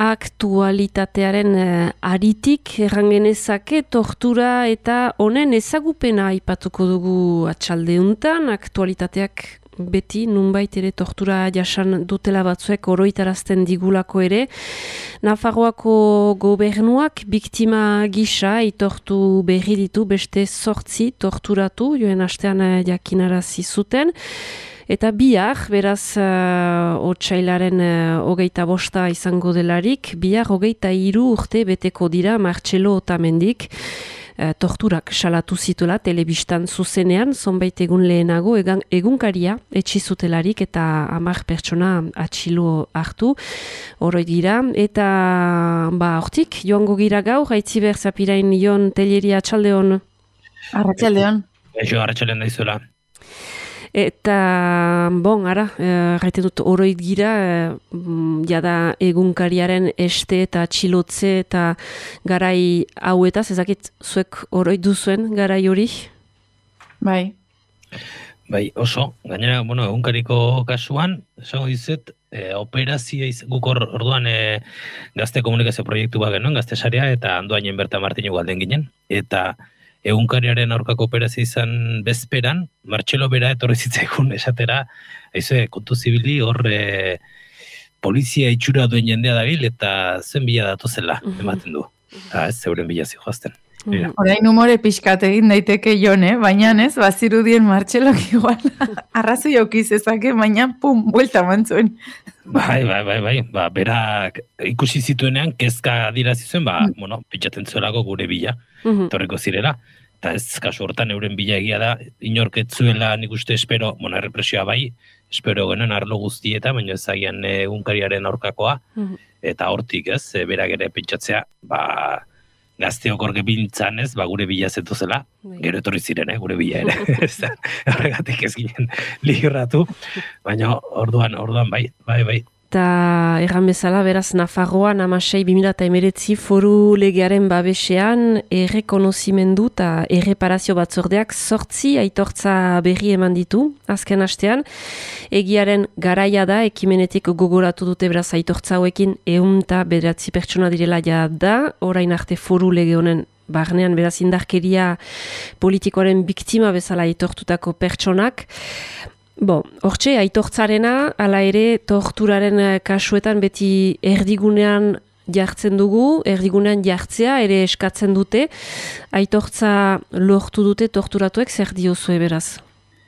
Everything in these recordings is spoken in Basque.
aktualitatearen aritik errangenezake tortura eta honen ezagupena aipatuko dugu atxaldeuntan. Aktualitateak beti nunbait ere tortura jasan dutela batzuek oroitarazten digulako ere. Nafarroako gobernuak biktima gisa aitortu berri ditu beste 8 torturatu joen astean jakinarazi zuten. Eta bihar, beraz, otsailaren 25 izango delarik, bihar 23 urte beteko dira Martxelo Otamendik, torturak salatu zituela telebistan zuzenean, zonbait egun lehenago egunkaria etxizutelarik eta 10 pertsona atxilo hartu, horoi dira. Eta hortik, joango gira gaur, Aitziber Zapirain Jon Telleria Arratsaldeon. Arratsaldeon. Eixo, arratsaldeon daizuela. Eta, gaiten dut oroit gira, jada egunkariaren este eta txilotze eta garai hauetaz, ezakit zuek oroit duzuen garai hori? Bai. Bai, oso. Gainera, egunkariko kasuan, esango dizut, operazioa guk orduan gazte komunikazio proiektu bat genuen, gazte sarea, eta handoainen Berta Martinu galden ginen, eta egunkariaren aurkako operazio izan bezperan, Martxelo bera etorri zitzaigun esatera, kontu zibili hor polizia itxura duen jendea dabil eta zen bila datozela ematen du. Ez zeuren bila zijoazten. Orain humore pixkat egin daiteke Jon, baina ez, bazirudien Martxelok igual arrazoi aukiz ezake, baina buelta mantzuen. Bai, berak ikusi zituenean, kezka adirazi zuen, pitzaten zuelako gure bila, torreko zirela. Eta ez, kasu hortan euren bila egia da, inorketzuela nik uste espero, errepresioa bai, espero genuen arlo guztieta, baina ezagian egunkariaren aurkakoa, eta hortik ez, berak ere pentsatzea, gazteok orge bintzan ez, gure bila zetuzela, gero etorri ziren, gure bila ere. Horregatik ez ginen ligratu, baina orduan bai. Eta erran bezala, beraz, Nafarroan 16/2019 foru legearen babesean errekonozimendu eta erreparazio batzordeak 8 aitortza berri eman ditu, azken astean. Egiaren garaia da, ekimenetik gogoratu dute beraz aitortza hauekin 109 pertsona direla da, orain arte foru lege honen barnean beraz indarkeria politikoaren biktima bezala aitortutako pertsonak. Hortxe, aitortzarena, ala ere, torturaren kasuetan beti erdigunean jartzen dugu, erdigunean jartzea ere eskatzen dute. Aitortza lortu dute torturatuek, zer diozue beraz?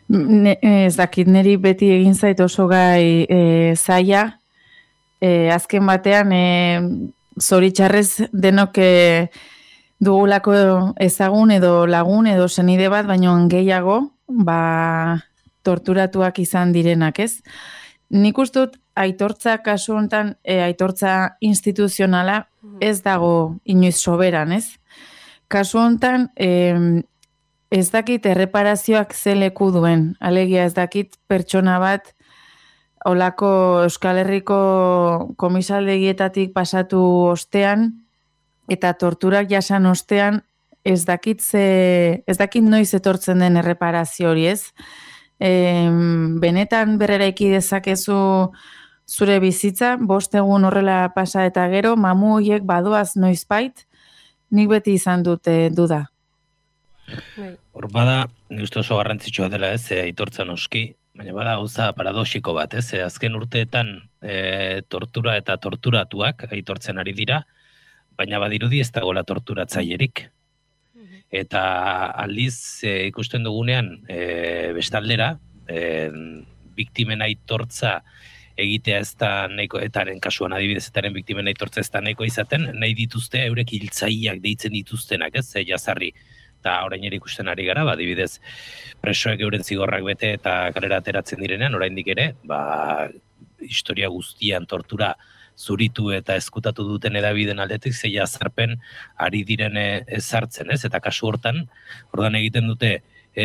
Ez dakit, niri beti egin zait oso gai zaila. Azken batean, zoritxarrez denok dugulako ezagun edo lagun edo senide bat, baino gehiago, torturatuak izan direnak, ez? Nik ustut, aitortza kasu honetan, aitortza instituzionala ez dago inoiz soberan, ez? Kasu honetan, ez dakit erreparazioak ze leku duen. Alegia ez dakit pertsona bat olako Euskal Herriko komisaldegietatik pasatu ostean eta torturak jasan ostean ez dakit noiz etortzen den erreparazio hori, ez? Benetan berreraiki dezakezu zure bizitza, 5 egun horrela pasa eta gero, mamu horiek badoaz noizbait, nik beti izan dute duda. Hor bada, nik uste oso garrantzitsua dela ez, aitortza noski, baina bada gauza paradoxiko bat, ez? Azken urteetan tortura eta torturatuak aitortzen ari dira, baina badirudi ez dagoela torturatzailerik. Eta aldiz ikusten dugunean bestaldera, biktimen aitortza egitea ez da nahiko, etaren kasuan adibidez, etaren biktimen aitortza ez da nahiko izaten, nahi dituzte eurek hiltzaileak deitzen dituztenak, ez, jazarri. Eta orain ere ikusten ari gara, adibidez, presoek euren zigorrak bete eta kalera ateratzen direnean, oraindik ere, historia guztian tortura zuritu eta eskutatu duten edabideen aldetik zei azarpen ari diren ezartzen, ez? Eta kasu hortan, ordan egiten dute,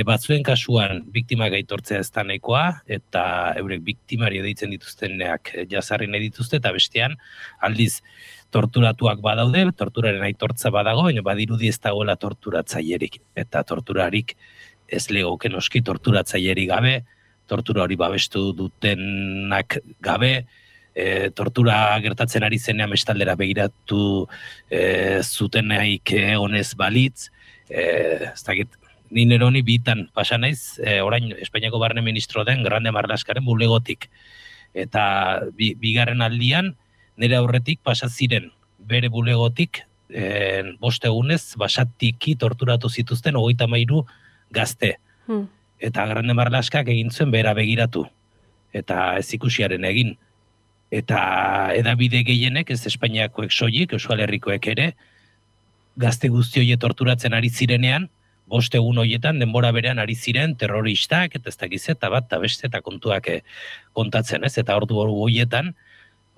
batzuen kasuan biktimak aitortzea ez da nahikoa, eta eurek biktimari deitzen dituztenak jazarri nahi dituzte, eta bestean, aldiz, torturatuak badaude, torturaren aitortza badago, baina badirudi ez dagoela torturatzailerik, eta torturarik ez legoke noski torturatzailerik gabe, tortura hori babestu dutenak gabe, tortura gertatzen ari zenean bestaldera begiratu zutenaik honez balitz, ez dakit, ni neroni bitan pasa naiz, orain Espainiako barne ministro den Grande Marlaskaren bulegotik. Eta bigarren aldian, nire aurretik pasa ziren bere bulegotik, 5 egunez, basatiki torturatu zituzten 33 gazte. Eta Grande Marlaskak egin zuen bera begiratu. Eta ez ikusiaren egin. Eta edabide gehienek, ez Espainiakoek soilik, Euskal Herrikoek ere, gazte guzti horiek torturatzen ari zirenean, 5 egun horietan denbora berean ari ziren terroristak, eta ez dakiz eta bat, eta beste, eta kontuak kontatzen, ez? Eta ordu horietan,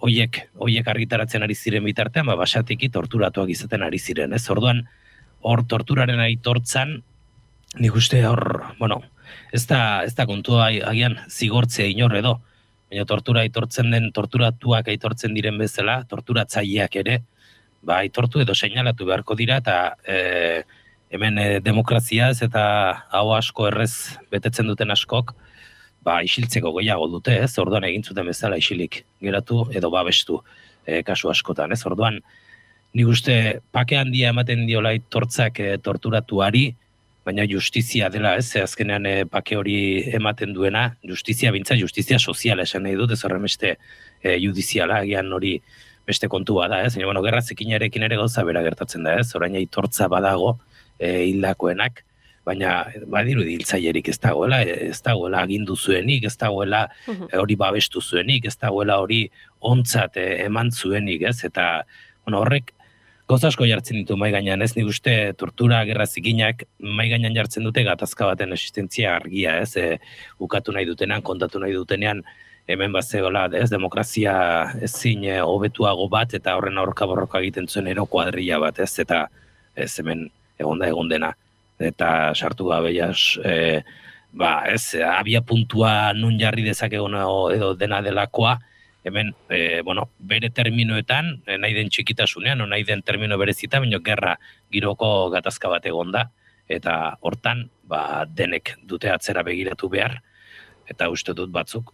horiek argitaratzen ari ziren bitartean, basatiki torturatuak izaten ari ziren, ez? Orduan, hor torturaren aitortzan, nik uste hor, bueno, ez da kontua agian zigortzea inor edo, baina tortura aitortzen den, torturatuak aitortzen diren bezala, torturatzaileak ere, aitortu edo seinalatu beharko dira, eta hemen demokraziaz eta hau asko errez betetzen duten askok, isiltzeko gehiago dute, ez? Orduan egin zuten bezala isilik geratu edo babestu kasu askotan, ez? Orduan, nik uste pake handia ematen diola aitortzak torturatuari, baina justizia dela, ez? Azkenean pake hori ematen duena, justizia soziala esan nahi dut, ez horren beste judiziala, agian hori beste kontua da, ez? Baina, gerra zikinarekin ere gauza bera gertatzen da, ez? Orain aitortza badago hildakoenak, baina badirudi hiltzailerik ez dagoela agindu zuenik, ez dagoela hori babestu zuenik, ez dagoela hori ontzat eman zuenik, ez? Eta horrek gauza asko jartzen ditu mai gainean, ez? Nik uste tortura, gerra zikinak mai gainean jartzen dute gatazka baten existentzia argia, ez? Ukatu nahi dutenean, kontatu nahi dutenean, hemen bazegola, ez? Demokrazia ezin hobetuago bat, eta horren aurka borroka egiten zuen ero kuadrilla bat, ez? Eta ez hemen egon dena. Eta sartu gabe ez, abia puntua nun jarri dezakegun edo dena delakoa, hemen, bere terminoetan, nahi den txikitasunean, nahi den termino berezitan, baina gerra giroko gatazka bat egon da, eta hortan, denek dute atzera begiratu behar, eta uste dut batzuk,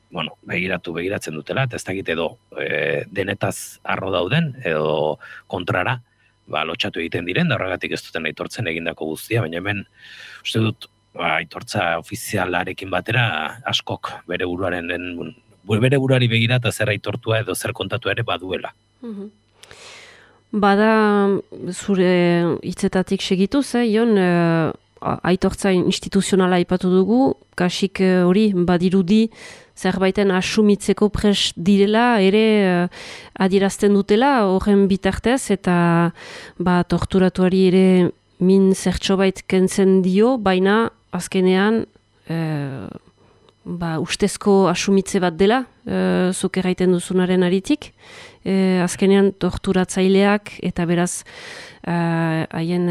begiratzen dutela, eta ez dakit edo denetaz arro dauden, edo kontrara, lotxatu egiten diren, da horregatik ez duten aitortzen egindako guztia, baina hemen, uste dut, aitortza ofizialarekin batera, askok bere buruari begira eta zer aitortua edo zer kontatua ere baduela. Bada, zure hitzetatik segituz, Jon, aitortza instituzionala aipatu dugu, kasik hori badirudi zerbaiten asumitzeko prest direla, ere adierazten dutela, horren bitartez, eta torturatuari ere min zertxobait kentzen dio, baina azkenean ustezko asumitze bat dela, zuk erraiten duzunaren aritik, azkenean torturatzaileak eta beraz haien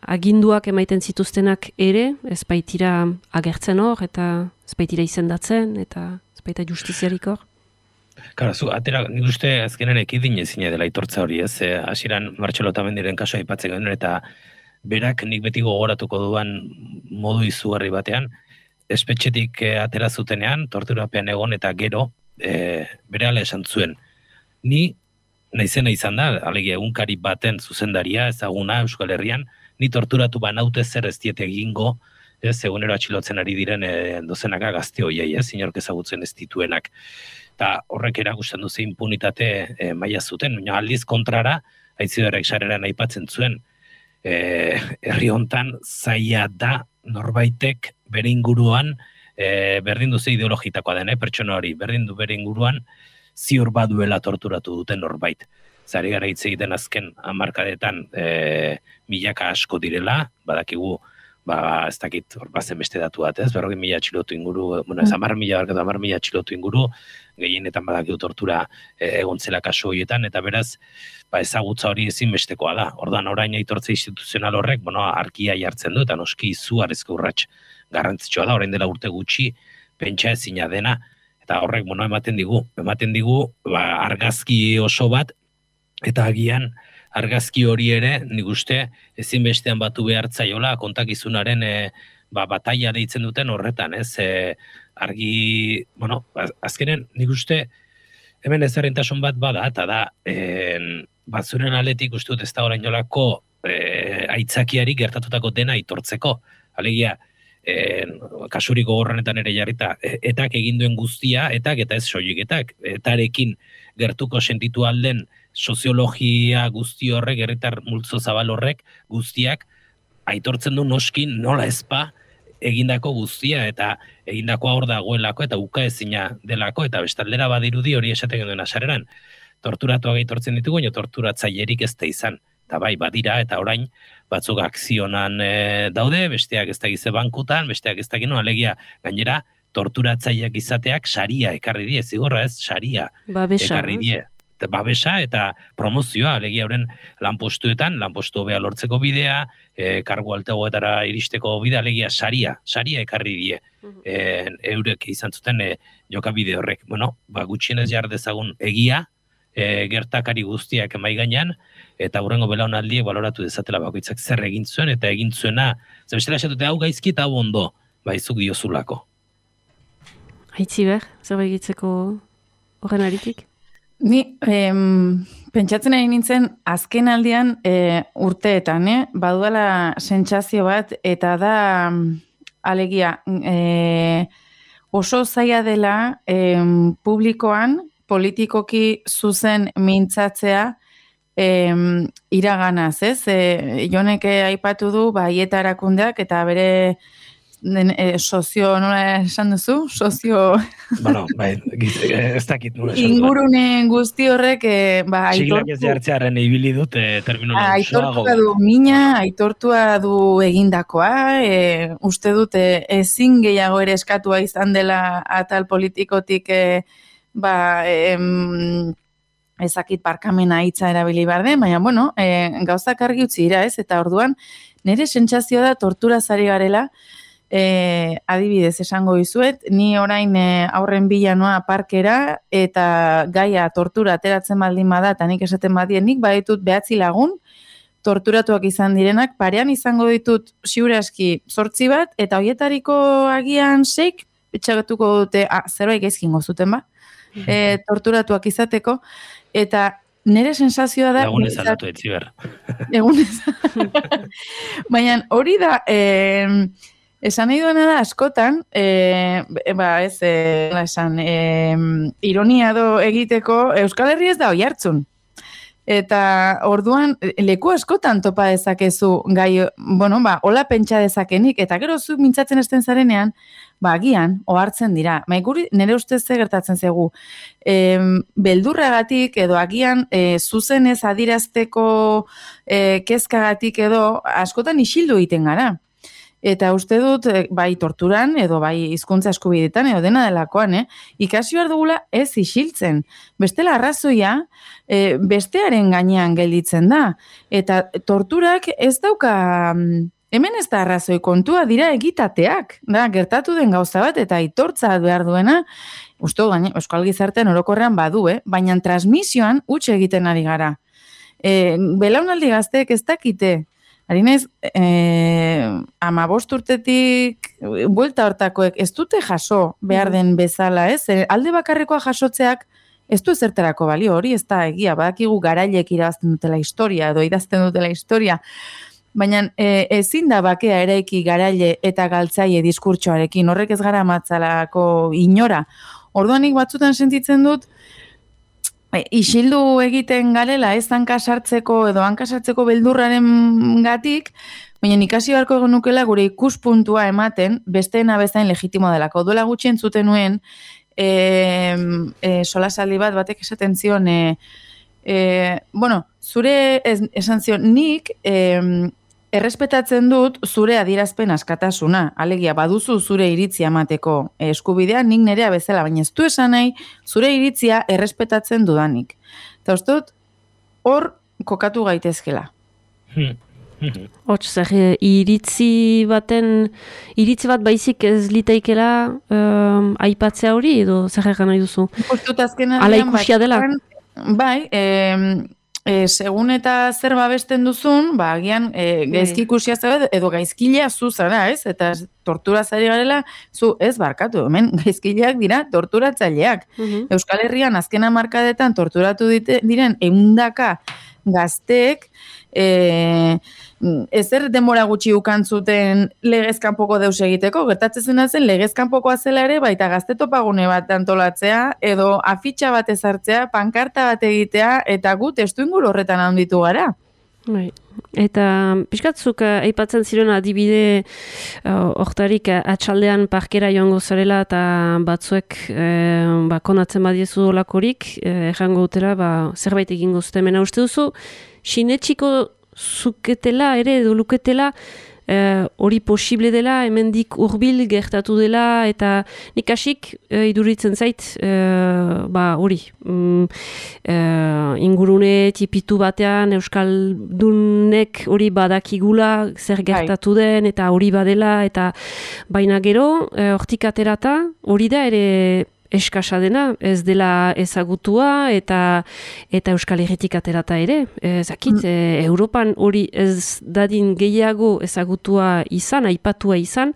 aginduak emaiten zituztenak ere, ez baitira agertzen hor, eta ez baitira izendatzen, eta ez baita justiziarik hor. Nik uste azkenean ekidin ezin dela aitortza hori, ez? Hasieran Martxelo Otamendiren kasua aipatzen genuen, eta berak nik beti gogoratuko duan modu izugarri batean, espetxetik atera zutenean, torturapean egon eta gero, berehala esan zuen. Ni, naizena izan da, alegia egunkari baten zuzendaria, ezaguna Euskal Herrian, ni torturatu banaute zer ez diet egingo, egunero atxilotzen ari diren dozenaka gazte hoiei, inork ezagutzen ez dituenak. Eta horrek erakusten duze impunitate maila zuten, baina aldiz kontrara, Aitziberrek sareran aipatzen zuen, herri hontan zaila da norbaitek bere inguruan, berdin duze ideologitakoa den, pertsona hori, berdin du bere inguruan, ziur baduela torturatu duten norbait. Zari gara hitz egiten azken hamarkadetan milaka asko direla, badakigu, ez dakit hor bazen beste datu bat, ez? 40.000 atxilotu inguru, ez 10.000 atxilotu inguru, gehienetan badakigu tortura egontzela kasu horietan, eta beraz, ezagutza hori ezinbestekoa da. Ordan orain aitortza instituzional horrek, arkia jartzen du, eta noski izugarrizko urrats garrantzitsua da, orain dela urte gutxi, pentsa ezina dena, eta horrek ematen digu argazki oso bat, eta agian argazki hori ere, nik uste, ezinbestean batu behartzaiola kontakizunaren bataila deitzen duten horretan, ez? Argi, azkenen, nik uste, hemen ezberdintasun bat bada, eta da, batzuren aletik uste dut ez da orain jolako aitzakiari gertatutako dena aitortzeko. Alegia, kasuriko gorranetan ere jarrita, etak egin duen guztia, etak eta ez soilik etak, etarekin gertuko sentitu alden soziologia guzti horrek, herritar multzo zabal horrek guztiak, aitortzen du noskin nola ezpa egindako guztia, eta egindakoa hor dagoelako, eta ukaezina delako, eta bestaldera badirudi hori esaten genuen asareran. Torturatuak aitortzen ditugu, baina torturatzailerik ez da izan. Eta bai, badira, eta orain, batzuk akzionan daude, besteak ez dakize bankutan, besteak ez dakino, alegia, gainera, torturatzaileak izateak saria ekarri die, zigorra ez, saria ekarri die. Babesa eta promozioa, alegia horren lanpostuetan, lanpostu hobea lortzeko bidea, kargu altegoetara iristeko bidea, alegia saria ekarri die. Eurek izan zuten jokabide horrek. Bueno, gutxienez jar dezagun egia, gertakari guztiak emai gainean, eta hurrengo belaunaldiek baloratu dezatela bakoitzak zer egin zuen, eta egin zuena, zebestela esatute hau gaizki eta hau ondo, baizuk diozulako. Aitziber, zer egitzeko horren aritik? Ni, pentsatzen ari nintzen, azken aldian urteetan, baduala sentsazio bat, eta da, alegia, oso zaila dela publikoan, politikoki zuzen mintzatzea iraganaz, ez? Jonek aipatu du, Aieta erakundeak, eta bere sozio, nola esan duzu? Sozio... Bueno, ez dakit nola esan duzu. Ingurune guzti horrek, Sigilak ez jartzearen ibili dut terminologia osoago. Aitortua du mina, aitortua du egindakoa, uste dut ezin gehiago ere eskatua izan dela atal politikotik ezakit barkamena hitza erabili behar den, baina, bueno, gauzak argi utzi dira, ez? Eta orduan, nire sentsazioa da tortura zari garela, adibidez esango dizuet, ni orain aurren bila noa parkera, eta gaia tortura ateratzen baldin bada, eta nik esaten badien, nik baditut 9 lagun, torturatuak izan direnak, parean izango ditut ziur aski 8 bat, eta hoietariko agian 6, etxagatuko dute, zerbait gaizkin gozuten ba? Torturatuak izateko, eta nire sensazioa da... Lagunez aldatu etziber. Egunez. Baina hori da, esan nahi duena da askotan, ironia do egiteko, Euskal Herri ez da oihartzun. Eta orduan, leku askotan topa dezakezu gai, hola pentsa dezakenik, eta gero zu mintzatzen esten zarenean, agian, ohartzen dira. Nire ustez ze gertatzen zegu. Beldurragatik edo agian zuzenez adirazteko kezkagatik edo askotan isildu egiten gara. Eta uste dut, bai torturan, edo bai hizkuntza eskubidetan, edo dena delakoan, ikasi behar dugula ez isiltzen. Bestela arrazoia, bestearen gainean gelditzen da. Eta torturak ez dauka... Hemen ez da arrazoi kontua dira egitateak, da, gertatu den gauza bat eta aitortza behar duena, uste gaine, euskal gizartean orokorrean badu, baina transmisioan utxe egiten ari gara. Belaunaldi gazteek ez dakite, ari naiz, 15 urtetik buelta hortakoek ez dute jaso behar den bezala, ez? Alde bakarrekoa jasotzeak ez du ezertarako balio, hori ez da egia, badakigu garailek irabazten dutela historia, edo idazten dutela historia, baina ezin da bakea eraiki garaile eta galtzaile diskurtsoarekin, horrek ez gara matzalako inora. Orduanik batzutan sentitzen dut, isildu egiten garela ez hankasartzeko edo hankasartzeko beldurraren gatik, baina ikasi beharko genukela gure ikuspuntua ematen besteena bezain legitimo delako. Duela gutxi entzuten nuen, solasaldi batek esaten zion, zure esan zion, nik errespetatzen dut zure adierazpen askatasuna, alegia baduzu zure iritzia emateko eskubidea, nik nerea bezala, baina ez du esan nahi zure iritzia errespetatzen dudanik. Eta uste dut, hor kokatu gaitezkela. Hots, iritzi bat baizik ez liteikela aipatzea hori, edo zer egan nahi duzu? Ustut azken ala ikusia dela? Bai, segun eta zer babesten duzun, agian gaizki ikusia zara edo gaizkilea zu zara, ez? Eta tortura zari garela, zu ez barkatu, hemen gaizkileak dira torturatzaileak. Euskal Herrian azken hamarkadetan torturatu diren 100 gazteek ezer denbora gutxi ukantzuten legezkanpoko deus egiteko, gertatzen zen legezkanpokoa zela ere, baita gazte topagune bat antolatzea, edo afitxa bat ezartzea, pankarta bat egitea, eta gu testuinguru horretan handitu gara. Bai. Eta pixkatzuk aipatzen ziren adibide hortarik atxaldean parkera joango zarela eta batzuek konatzen badiezu olakorik, errango dutela zerbait egingo zuten. Mena uste duzu, sinetxiko zuketela ere edo luketela hori posible dela, hemendik hurbil gertatu dela, eta nik hasik iduritzen zait hori ingurune tipitu batean Euskaldunek hori badakigula zer gertatu den eta hori badela, eta baina gero hortik aterata hori da ere eskasa dena, ez dela ezagutua eta Euskal Herritik aterata ere. Zakit, Europan hori ez dadin gehiago ezagutua izan, aipatua izan,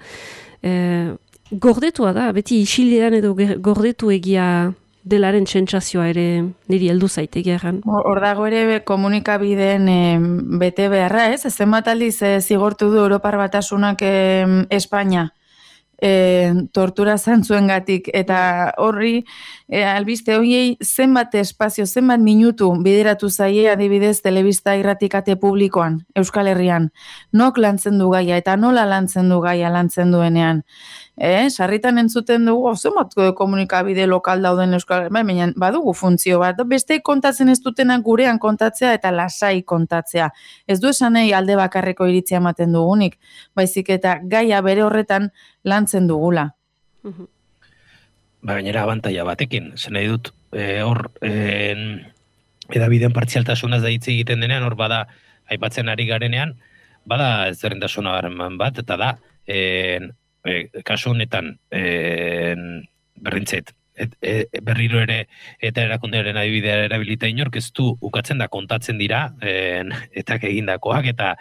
gordetua da, beti isilean edo gordetu egia delaren sentsazioa ere niri heldu zaite gerran. Hor dago ere komunikabideen bete beharra, ez? Zenbat aldiz zigortu du Europar Batasunak Espainia tortura zantzuengatik, eta horri albiste horiei zenbat espazio, zenbat minutu bideratu zaie adibidez telebista irratikate publikoan Euskal Herrian. Nok lantzen du gaia eta nola lantzen du gaia lantzen duenean. Sarritan entzuten dugu, zenbat komunikabide lokal dauden Euskal Herrian, baina badugu funtzio bat, beste kontatzen ez dutenak gurean kontatzea eta lasai kontatzea. Ez du esanei alde bakarreko iritzia ematen dugunik, baizik eta gaia bere horretan lantzen dugula. Gainera abantaila batekin, zen nahi dut, hor edabideen partzialtasunaz da hitz egiten denean, hor bada aipatzen ari garenean, bada ezberdintasuna bat, eta da, kasu honetan berrintzet, berriro ere eta erakundearen adibidea erabilita inork ez du ukatzen da kontatzen dira eta egindakoak eta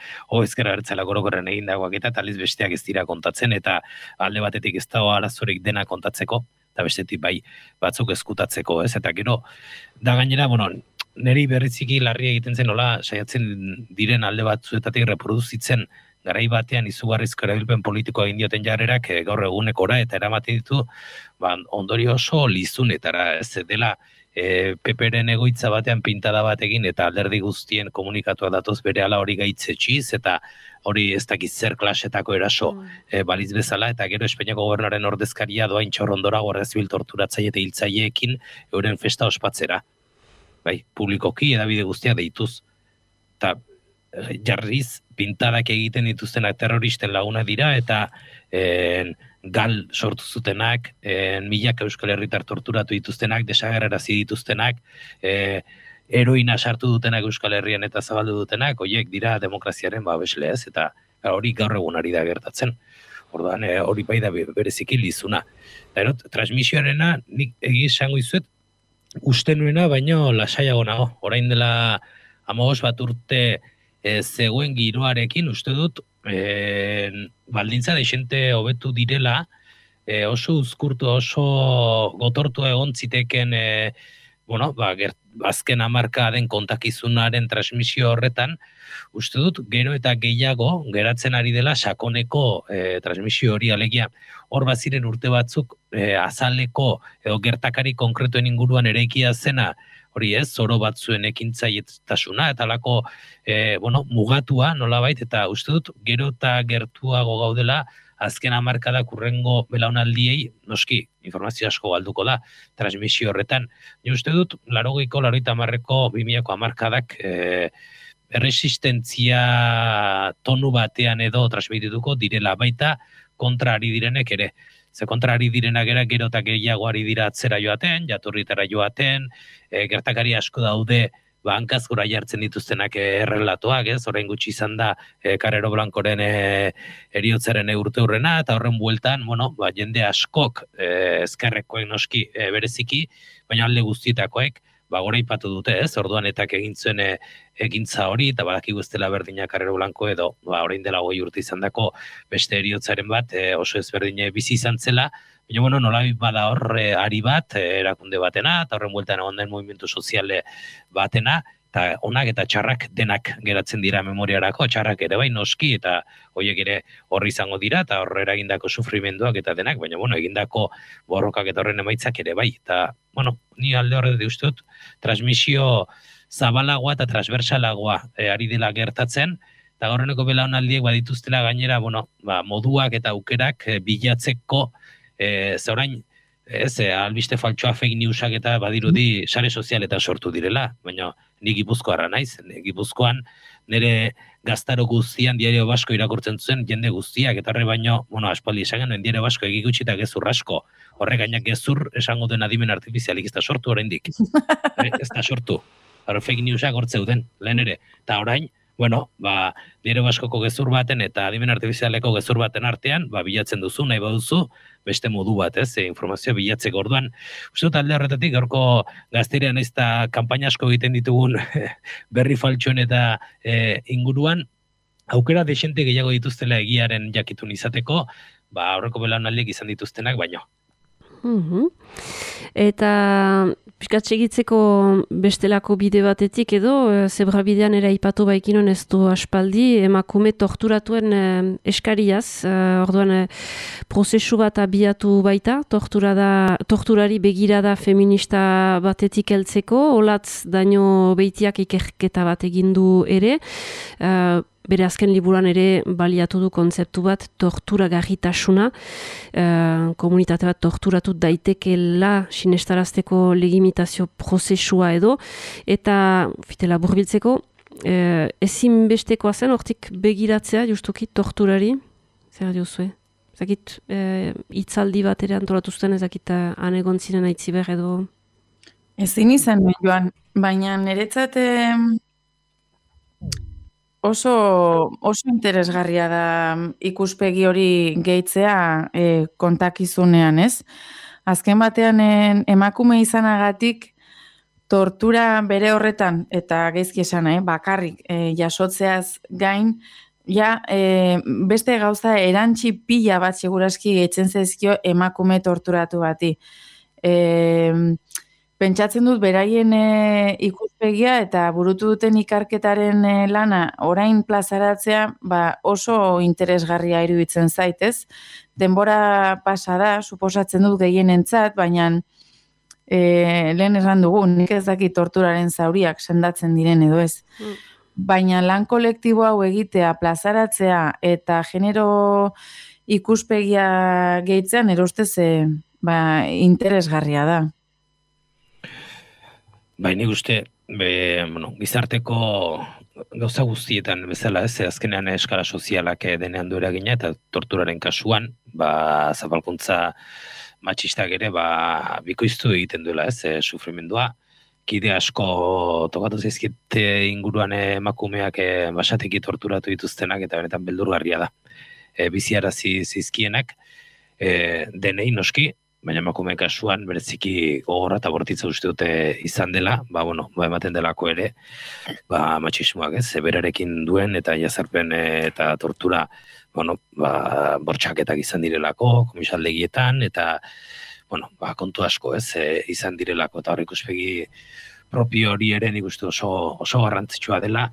ezkerra bertzela gorokorren egindakoak eta taliz besteak ez dira kontatzen eta alde batetik ez dago arazorik dena kontatzeko eta bestetik bai batzuk ezkutatzeko, ez? Eta gero da gainera, niri berriziki larria egiten zen nola saiatzen diren alde batzuetatik reproduzitzen garai batean izugarrizko erabilpen politikoa egin dioten jarrerak gaur egunekora eta eramaten ditu ondorio oso lizunetara, ez dela PPren egoitza batean pintada bat egin eta alderdi guztien komunikatuak datoz berehala hori gaitzetxiz eta hori ez dakiz zer klasetako eraso baliz bezala eta gero Espainiako gobernuaren ordezkaria doain txorrondora Guardia Zibil torturatzaile eta hiltzaileekin euren festa ospatzera. Bai, publikoki edabide guztiak deituz. Eta jarriz pintadak egiten dituztenak terroristen laguna dira eta gal sortu zutenak, milaka Euskal Herritar torturatu dituztenak, desagerrarazi dituztenak, heroina sartu dutenak Euskal Herrian eta zabaldu dutenak, horiek dira demokraziaren babesle, ez, eta hori gaur egun ari da gertatzen. Orduan, hori bai da bereziki lizuna. Eta transmisioarena nik esango izuet uste nuena, baino lasaiago nago. Orain dela 15 bat urte zegoen giroarekin uste dut baldintza desente hobetu direla, oso uzkurtu, oso gotortu egon ziteken azken hamarkaden kontakizunaren transmisio horretan, uste dut gero eta gehiago geratzen ari dela sakoneko transmisio hori, alegia hor baziren urte batzuk azaleko edo gertakari konkretuen inguruan eraikia zena, hori ez, zoro batzuen ekintzailetasuna eta lako mugatua nolabait, eta uste dut gero eta gertuago gaudela azken hamarkadak urrengo belaunaldiei, noski, informazio asko galduko da, transmisio horretan. Ni uste dut, 80ko 2000ko hamarkadak erresistentzia tonu batean edo transmitituko direla, baita kontra ari direnek ere. Ze kontra ari direnak gero eta gehiago ari dira atzera joaten, jatorritara joaten, gertakari asko daude hankaz gora jartzen dituztenak errelatoak, ez? Orain gutxi izan da Carrero Blancoren eriotzaren urte hurrena, eta horren bueltan, jende askok ezkerrekoek noski bereziki, baina alde guztietakoek, gora ipatu dute, ez? Orduan etak egin zuen egintza hori, eta badakigu ez dela berdina Carrero Blanco edo, orain dela 20 urte izandako beste heriotzaren bat, oso ezberdine bizi izan zela, baina, bueno, nolabait bada horre ari bat, erakunde batena, eta horren bueltan egon den movimentu soziale batena, eta onak eta txarrak denak geratzen dira memoriarako, txarrak ere bai noski, eta horiek ere horri izango dira, eta horre eragindako sufrimenduak eta denak, baina, bueno, egindako borrokak eta horren emaitzak ere bai. Eta, bueno, ni alde horre dut, transmisio zabalagoa eta transversalagoa ari dela gertatzen, eta gaurreneko belaunaldiek badituztela gainera, bueno, moduak eta aukerak bilatzeko, zaurain, albiste faltsoa fake newsak eta badirudi sare sozialetan sortu direla, baina ni Gipuzkoarra naiz, Gipuzkoan nire gaztaro guztian Diario Basko irakurtzen zuen jende guztiak, eta horre baino, bueno, aspaldi esan genuen Diario Basko egikutsi eta gezur asko, horre gainak gezur esango den adimen artifizialik ez da sortu oraindik. Ez da sortu. Horre fake newsak hortzeuden, lehen ere. Eta orain, bueno, Diario Baskoko gezur baten eta adimen artifizialeko gezur baten artean, bilatzen duzu, nahi baduzu, beste modu bat, informazioa bilatzeko orduan. Uste dut alde horretatik, gaurko gazterean ez da kanpaina asko egiten ditugun berri faltxoen eta inguruan, aukera desente gehiago dituztela egiaren jakitun izateko, aurreko belaunaldiek izan dituztenak baino. Eta pixkat segitzeko bestelako bide batetik edo, zebra bidean ere aipatu baikinon ez du aspaldi, emakume torturatuen eskariaz, orduan prozesu bat abiatu baita, torturari begirada feminista batetik heltzeko, olatz daño beitiak ikerketa bat egindu ere, bere azken liburuan ere baliatu du kontzeptu bat torturagarritasuna, komunitate bat torturatu daitekeela sinestarazteko legitimazio prozesua edo, eta fitela burbiltzeko, ezinbestekoa zen hortik begiratzea justuki torturari, zer diozue? Ezakit, hitzaldi bat ere antolatu zuten, ezakit anegon ziren aitziber edo? Ezin izan, Joan, baina niretzat oso interesgarria da ikuspegi hori gehitzea kontakizunean, ez? Azken batean emakume izanagatik tortura bere horretan, eta gaizki esan, bakarrik jasotzeaz gain, beste gauza erantzi pila bat seguraski gehitzen zaizkio emakume torturatu bati. Pentsatzen dut beraien ikuspegia eta burutu duten ikarketaren lana orain plazaratzea oso interesgarria iruditzen zaitez. Denbora pasa da, suposatzen dut gehienentzat, baina lehen erran dugu, nik ez dakit torturaren zauriak sendatzen diren edo ez. Baina lan kolektibo hau egitea, plazaratzea eta genero ikuspegia gehitzen, erostez interesgarria da. Nik uste, gizarteko gauza guztietan bezala ez, azkenean eskala sozialak denean du eragina, eta torturaren kasuan, zapalkuntza matxistak ere, bikoiztu egiten duela ez, sufrimendua. Kide asko tokatu zaizkite inguruan emakumeak basateki torturatu dituztenak, eta benetan beldurgarria da. Biziarazi zizkienak, denei noski, baina emakume kasuan bereziki gogorra eta bortitza uste dute izan dela, ematen delako ere, matxismoak ez, berarekin duen eta jazarpen eta tortura, bortxaketak izan direlako, komisaldegietan, eta, kontu asko ez, izan direlako, eta hor ikuspegi propio hori ere nik uste oso garrantzitsua dela,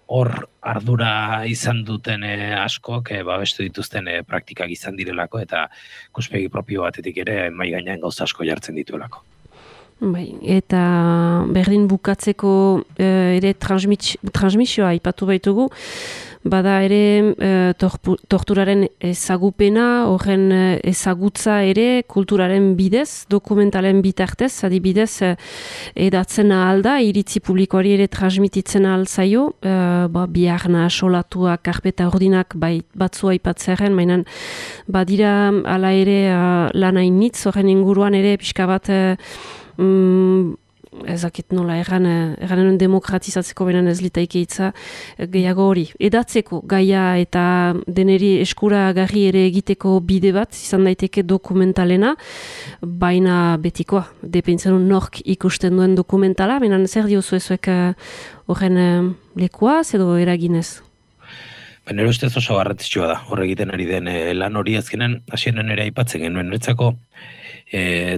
hor ardura izan duten askok, babestu dituzten praktikak izan direlako, eta ikuspegi propio batetik ere mai gainean gauza asko jartzen dituelako. Eta berdin bukatzeko ere transmisioa aipatu baitugu, bada ere torturaren ezagupena, horren ezagutza ere kulturaren bidez, dokumentalen bitartez, adibidez edatzen ahal da, iritzi publikoari ere transmititzen ahal zaio, biharna, solatuak, karpeta ordinak batzua aipatzearen, mainan badira ala ere lanainitz, horren inguruan ere pixka bat ezakit nola, erranen demokratizatzeko benen ez litaike hitza gehiago hori. Edatzeko gaia eta deneri eskuragarri ere egiteko bide bat, izan daiteke dokumentalena, baina betikoa, depeintzen nork ikusten duen dokumentala, baina zer diozu ezuek horren lekuaz edo eraginez? Nire ustez oso garrantzitsua da, hor egiten ari den lan hori azkenen, hasieran ere aipatzen genuen, niretzako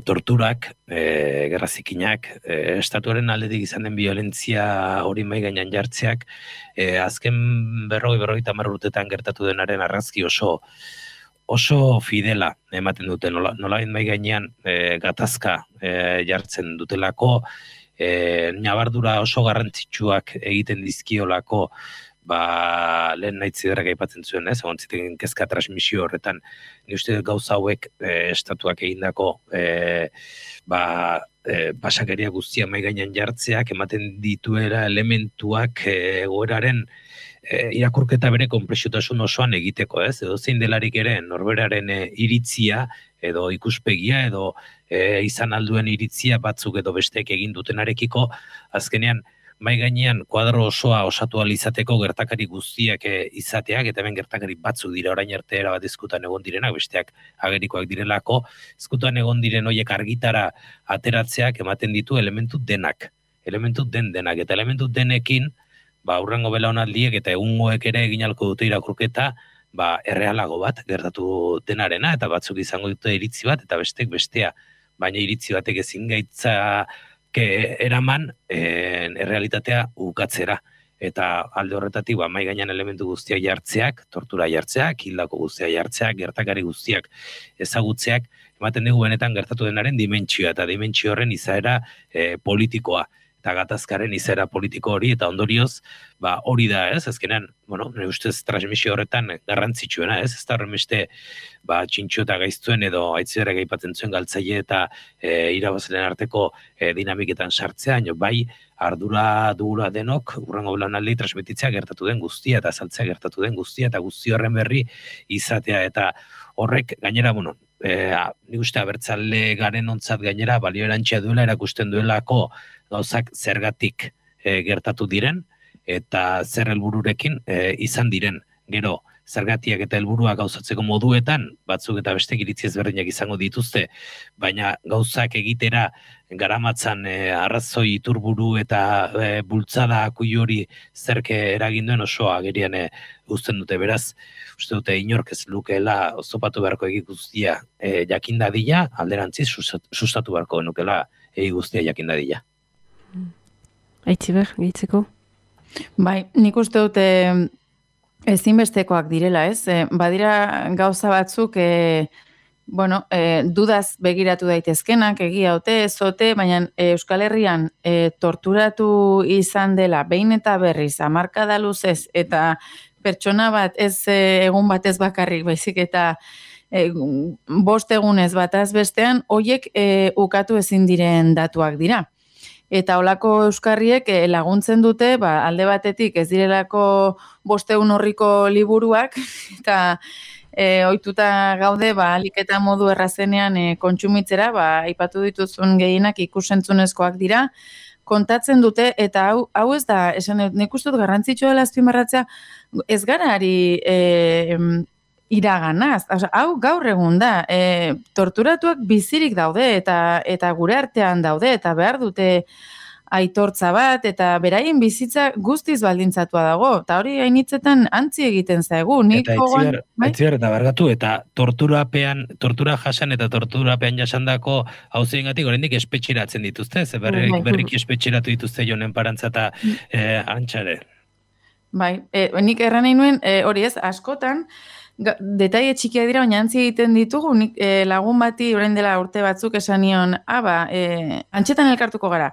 torturak, gerrazikinak, estatuaren aldetik izan den violentzia hori mai gainean jartzeak, azken 50 urtetan gertatu denaren argazki oso fidela ematen dute, nolabait mai gainean gatazka jartzen dutelako, nabardura oso garrantzitsuak egiten dizkiolako, lehen nahi ziderrak aipatzen zuen, egon ziten kezka transmisio horretan, ni uste gauza hauek estatuak egindako pasakeria guztia mai gainean jartzeak, ematen dituera elementuak egoeraren irakurketa bere konplexutasun osoan egiteko, ez? Edo zein delarik ere norberaren iritzia edo ikuspegia edo izan alduen iritzia batzuk edo besteek egin dutenarekiko, azkenean mai gainean kuadro osoa osatu alizateko gertakari guztiak izateak, eta hemen gertakari batzuk dira orain arte erabat ezkutan egon direnak, besteak agerikoak direlako, ezkutan egon diren horiek argitara ateratzeak ematen ditu elementu denak, eta elementu denekin, hurrengo belaunaldiek eta egungoek ere egin ahalko dute irakurketa, errealago bat gertatu denarena, eta batzuk izango dute iritzi bat, eta besteek bestea, baina iritzi batek ezin gaitza eraman errealitatea ukatzera. Eta alde horretatik, mai gainean elementu guztiak jartzeak, tortura jartzeak, hildako guztiak jartzeak, gertakari guztiak ezagutzeak, ematen dugu benetan gertatu denaren dimentsioa, eta dimentsio horren izaera politikoa, eta gatazkaren izaera politiko hori, eta ondorioz, hori da, ez? Azkenean, nire ustez transmisio horretan garrantzitsuena, ez? Ez da horren beste, txintxo eta gaiztuen edo aitziderak aipatzen zuen galtzaile eta irabazleen arteko dinamiketan sartzea, bai, ardura dugula denok, hurrengo belaunaldi transmititzea gertatu den guztia, eta azaltzea gertatu den guztia, eta guzti horren berri izatea, eta horrek, gainera, nik uste abertzale garen ontzat gainera, balio erantxea duela, erakusten duelako gauzak zergatik gertatu diren, eta zer helbururekin izan diren. Gero, zergatiak eta helburuak gauzatzeko moduetan, batzuk eta bestek iritzi ezberdinak izango dituzte, baina gauzak egitera garamatzan arrazoi iturburu eta bultzada akuilu hori zerke eragin duen oso agerian uzten dute. Beraz, uste dute inork ez lukeela oztopatu beharko egi guztia jakindadila, alderantziz sustatu beharko nukela egi guztia jakindadila. Aitziber, gehitzeko? Bai, nik uste dute ezinbestekoak direla, ez? Badira gauza batzuk, dudaz begiratu daitezkenak, egia ote, ez ote, baina Euskal Herrian torturatu izan dela, behin eta berriz, hamarkada luzez, eta pertsona bat ez egun batez bakarrik, baizik eta 5 egunez bataz bestean, hoiek ukatu ezin diren datuak dira. Eta holako euskarriek laguntzen dute, alde batetik ez direlako 500 horriko liburuak, eta ohituta gaude, alik eta modu errazenean kontsumitzera, aipatu dituzun gehienak ikusentzunezkoak dira, kontatzen dute, eta hau ez da, nik uste dut garrantzitsua dela azpimarratzea, ez gara ari iraganaz. Hau gaur egun da, torturatuak bizirik daude eta gure artean daude eta behar dute aitortza bat eta beraien bizitza guztiz baldintzatua dago. Eta hori hainitzetan antzi egiten zaigu. Eta aitziber eta bergatu, eta tortura jasan eta torturapean jasandako hauzengatik oraindik espetxeratzen dituzte, ze berriki espetxeratu dituzte Jonen Parantza eta Antxare. Bai, nik erran nahi nuen, hori ez, askotan, detaile txikia dira, baina antzi egiten ditugu, lagun bati orain dela urte batzuk esan nion, antxetan elkartuko gara.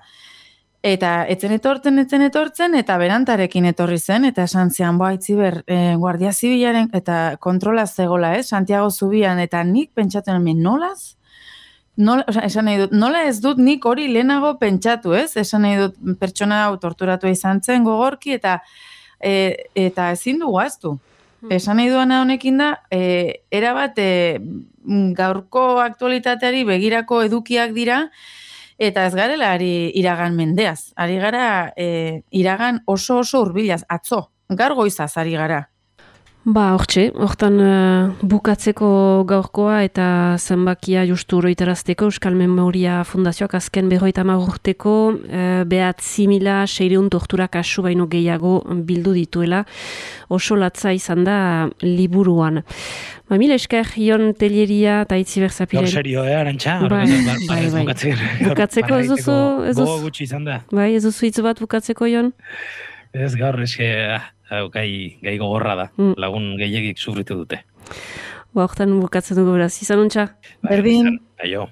Eta etzen etortzen, eta berantarekin etorri zen, eta esan zean, Aitziber, Guardia Zibilaren, eta kontrola zegoela, Santiago Zubian, eta nik pentsatu hemen nolaz? Esan nahi dut, nola ez dut nik hori lehenago pentsatu, esan nahi dut pertsona hau torturatu izan zen gogorki, eta ezin dugu aztu. Esan nahi duana honekin da, erabat gaurko aktualitateari begirako edukiak dira, Eta ez garela ari iragan mendeaz, ari gara iragan oso hurbilaz, atzo, gaur goizaz ari gara. Ba, hortan bukatzeko gaurkoa eta zenbakia justu oroitarazteko Euskal Memoria Fundazioak azken 50 urteko 9.600 tortura kasu baino gehiago bildu dituela, oso latza izan da liburuan. Ba, mila esker, Ion Telleria eta Itziber Zapiren. Gaur serio, Arantxa? Bai. Bukatzeko ez duzu... Gogo gutxi izan da. Bai, ez duzu hitz bat bukatzeko, Ion? Ez gaur, gai gogorra da. Lagun gehiagik sufritu dute. Ba, hortan bukatzen dugu beraz. Izan ontsa? Berdin. Aio.